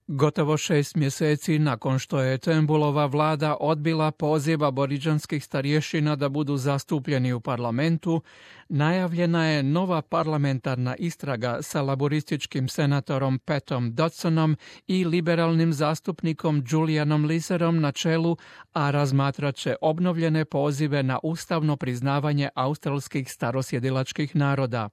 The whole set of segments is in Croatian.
Gotovo 6 mjeseci nakon što je Turnbullova vlada odbila poziv aboriđanskih starješina da budu zastupljeni u parlamentu, najavljena je nova parlamentarna istraga sa laborističkim senatorom Patom Dodsonom i liberalnim zastupnikom Julianom Leaserom na čelu, a razmatrat će obnovljene pozive na ustavno priznavanje australskih starosjedilačkih naroda.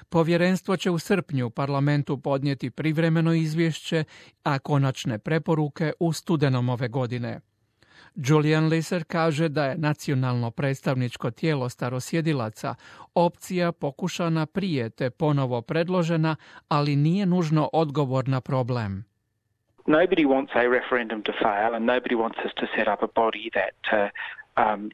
Povjerenstvo će u srpnju parlamentu podnijeti privremeno izvješće, a konačne preporuke u studenom ove godine. Julian Leaser kaže da je nacionalno predstavničko tijelo starosjedilaca opcija pokušana prije te ponovo predložena, ali nije nužno odgovor na problem. Nobody wants a referendum to fail and nobody wants us to set up a body that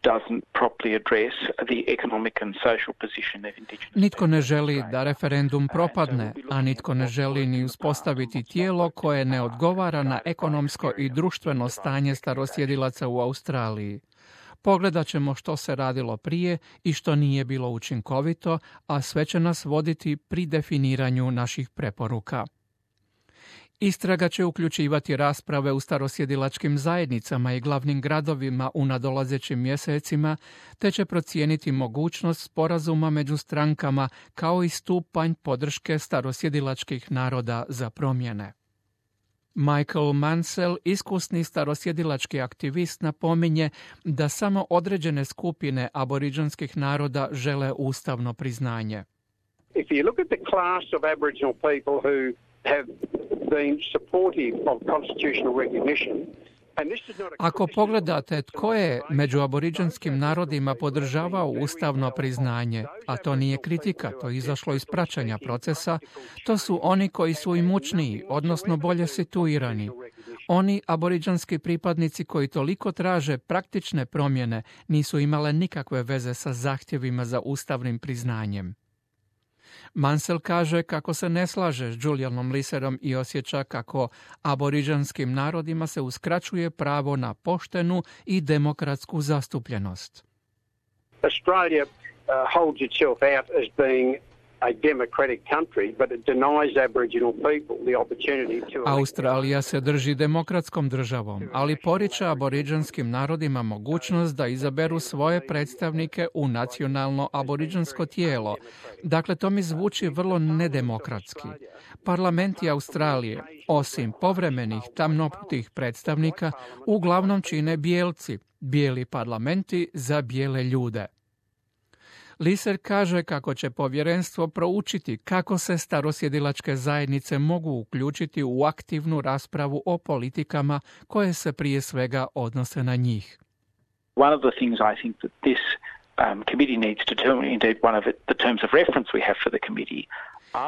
doesn't properly address the economic and social position of Indigenous. Nitko ne želi da referendum propadne, a nitko ne želi ni uspostaviti tijelo koje ne odgovara na ekonomsko i društveno stanje starosjedilaca u Australiji. Pogledat ćemo što se radilo prije i što nije bilo učinkovito, a sve će nas voditi pri definiranju naših preporuka. Istraga će uključivati rasprave u starosjedilačkim zajednicama i glavnim gradovima u nadolazećim mjesecima, te će procijeniti mogućnost sporazuma među strankama kao i stupanj podrške starosjedilačkih naroda za promjene. Michael Mansell, iskusni starosjedilački aktivist, napominje da samo određene skupine aboriđanskih naroda žele ustavno priznanje. If you look at the class of Aboriginal people who have been supportive of constitutional recognition. Ako pogledate tko je među aboriđanskim narodima podržavao ustavno priznanje, a to nije kritika, to je izašlo iz praćenja procesa, to su oni koji su imućniji, odnosno bolje situirani. Oni aboriđanski pripadnici koji toliko traže praktične promjene nisu imale nikakve veze sa zahtjevima za ustavnim priznanjem. Mansell kaže kako se ne slaže s Julianom Leaserom i osjeća kako aboriđanskim narodima se uskraćuje pravo na poštenu i demokratsku zastupljenost. Australia holds itself out as being a democratic country, but it denies Aboriginal people the opportunity to... Australija se drži demokratskom državom, ali poriče aboriđanskim narodima mogućnost da izaberu svoje predstavnike u nacionalno aboriđansko tijelo. Dakle, to mi zvuči vrlo nedemokratski. Parlamenti Australije, osim povremenih tamnoputih predstavnika, uglavnom čine bijelci, bijeli parlamenti za bijele ljude. Leaser kaže kako će povjerenstvo proučiti kako se starosjedilačke zajednice mogu uključiti u aktivnu raspravu o politikama koje se prije svega odnose na njih. One of the things I think that this committee needs to do, indeed one of the terms of reference we have for the committee.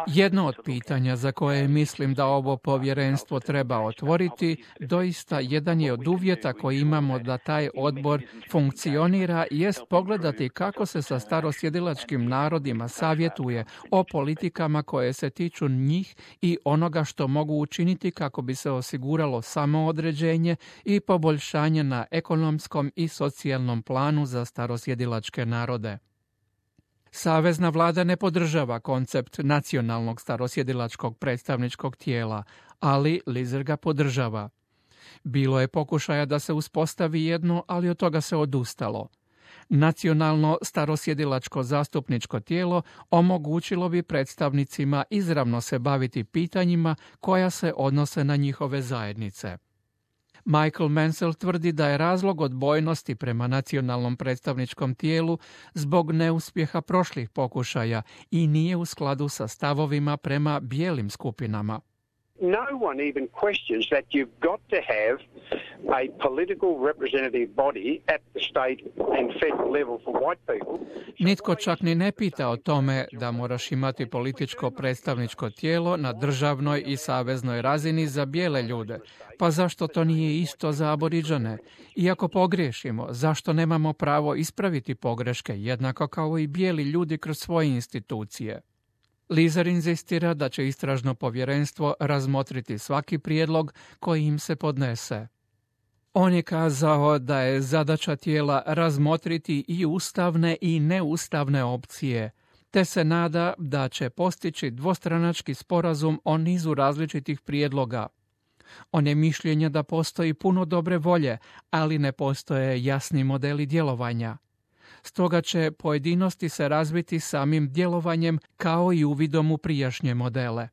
Jedno od pitanja za koje mislim da ovo povjerenstvo treba otvoriti, doista jedan je od uvjeta koji imamo da taj odbor funkcionira, jest pogledati kako se sa starosjedilačkim narodima savjetuje o politikama koje se tiču njih i onoga što mogu učiniti kako bi se osiguralo samoodređenje i poboljšanje na ekonomskom i socijalnom planu za starosjedilačke narode. Savezna vlada ne podržava koncept nacionalnog starosjedilačkog predstavničkog tijela, ali Leaser ga podržava. Bilo je pokušaja da se uspostavi jedno, ali od toga se odustalo. Nacionalno starosjedilačko zastupničko tijelo omogućilo bi predstavnicima izravno se baviti pitanjima koja se odnose na njihove zajednice. Michael Mansell tvrdi da je razlog odbojnosti prema nacionalnom predstavničkom tijelu zbog neuspjeha prošlih pokušaja i nije u skladu sa stavovima prema bijelim skupinama. No one even questions that you've got to have a political representative body at the state and federal level for white people. Nitko čak ni ne pita o tome da moraš imati političko predstavničko tijelo na državnoj i saveznoj razini za bijele ljude. Pa zašto to nije isto za aboriđane? Iako pogriješimo, zašto nemamo pravo ispraviti pogreške, jednako kao i bijeli ljudi kroz svoje institucije? Leaser inzistira da će istražno povjerenstvo razmotriti svaki prijedlog koji im se podnese. On je kazao da je zadaća tijela razmotriti i ustavne i neustavne opcije, te se nada da će postići dvostranački sporazum o nizu različitih prijedloga. On je mišljenja da postoji puno dobre volje, ali ne postoje jasni modeli djelovanja. Stoga će pojedinosti se razviti samim djelovanjem kao i uvidom u prijašnje modele.